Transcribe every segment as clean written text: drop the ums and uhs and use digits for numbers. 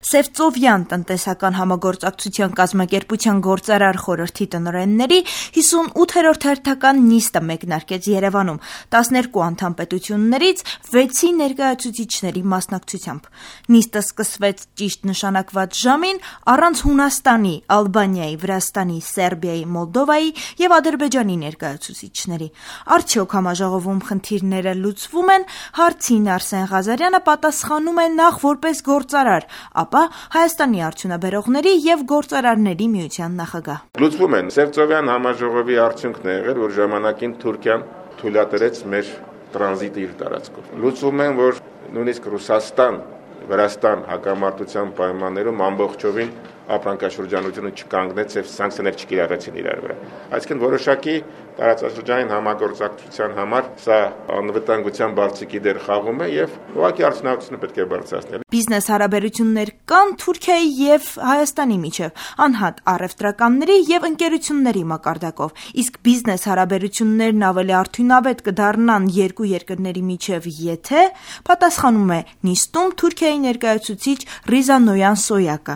Սևծովյան տնտեսական համագործակցության կազմակերպության գործարար խորհրդի տնօրենների 58-րդ հերթական նիստը մեկնարկեց Երևանում 12 անդամ պետություններից 6-ի ներկայացուցիչների մասնակցությամբ։ Նիստը սկսվեց ճիշտ նշանակված ժամին առանց Հունաստանի, Ալբանիայի, Վրաստանի, Սերբիայի, Մոլդովայի եւ Ադրբեջանի ներկայացուցիչների։ Արդյոք համաժողովում խնդիրները լուծվում են, հարցին Արսեն Ղազարյանը պատասխանում է նախ որպես գործարար, ապա Հայաստանի արդյունաբերողների եւ գործարարների միության նախագահ։ Լուծվում են։ Սևծովյան համաժողովի արդյունքն է եղել, որ ժամանակին Թուրքիան թույլատրեց մեր տրանզիտը իր տարածքով։ Լուծվում են, որ նույնիսկ Ռուսաստան, Վրաստան հակամարտության պայմաններում ամբողջովին ապրանքաշրջանությունը չկանգնեց եւ սանկցիաներ չկիրառեցին իրար վրա։ Այսինքն որոշակի տարածաշրջանային համագործակցության համար սա անվտանգության բարձիկի դեր խաղում է եւ ուղղակի արդյունավետությունը պետք է բարձրացնել։ Բիզնես հարաբերություններ կան Թուրքիայի եւ Հայաստանի միջեւ, անհատ առևտրականների եւ ընկերությունների մակարդակով, իսկ բիզնես հարաբերություններն ավելի արդյունավետ կդառնան երկու երկրների միջեւ, եթե պատասխանում է նիստում Թուրքիայի ներկայացուցիչ Ռիզա Նոյան Սոյակը։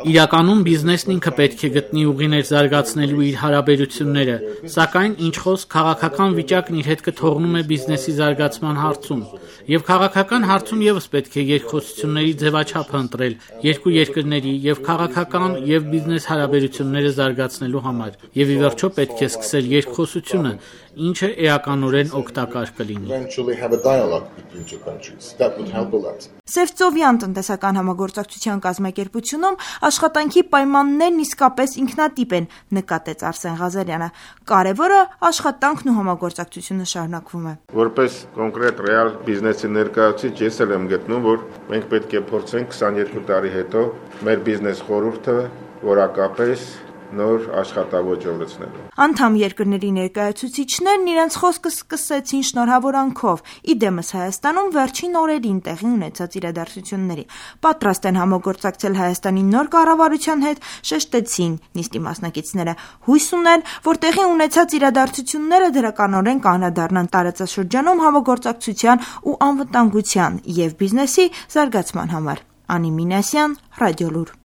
Իրականում բիզնեսն ինքը պետք է գտնի ուղիներ զարգացնելու իր հարաբերությունները, սակայն ինչ խոսք քաղաքական վիճակն իր հետ կթողնում է բիզնեսի զարգացման հարցում, եւ քաղաքական հարցում եւս պետք է երկխոսությունների ձևաչափ ընտրել երկու երկրների եւ քաղաքական եւ բիզնես հարաբերությունները զարգացնելու համար, եւ ի վերջո պետք է սկսել երկխոսությունը, ինչը էականորեն օգտակար կլինի։ Սևծովյան տնտեսական համագործակցության կազմակերպությունում աշխատանքի պայմաններն իսկապես ինքնատիպ են, նկատեց Արսեն Ղազարյանը։ Կարևորը աշխատանքն ու համագործակցությունը շարունակվում է։ Որպես կոնկրետ ռեալ բիզնեսի ներկայացուցիչ ես էլ եմ գտնում, որ մենք պետք է փորձենք 22 տարի հետո մեր բիզնես խորհուրդը որակապես նոր աշխատավոճով լցնելու։ Անդամ երկրների ներկայացուցիչներն իրենց խոսքը սկսեցին շնորհավորանքով, իդեմս Հայաստանում վերջին օրերին տեղի ունեցած իրադարձությունների։ Պատրաստ են համագործակցել Հայաստանի նոր կառավարության հետ, շեշտեցին նիստի մասնակիցները։ Հույս ունեն, որ տեղի ունեցած իրադարձությունները դրականորեն կանադառնան տարածաշրջանում համագործակցության ու անվտանգության եւ բիզնեսի զարգացման համար։ Անի Մինասյան, Ռադիոլուր։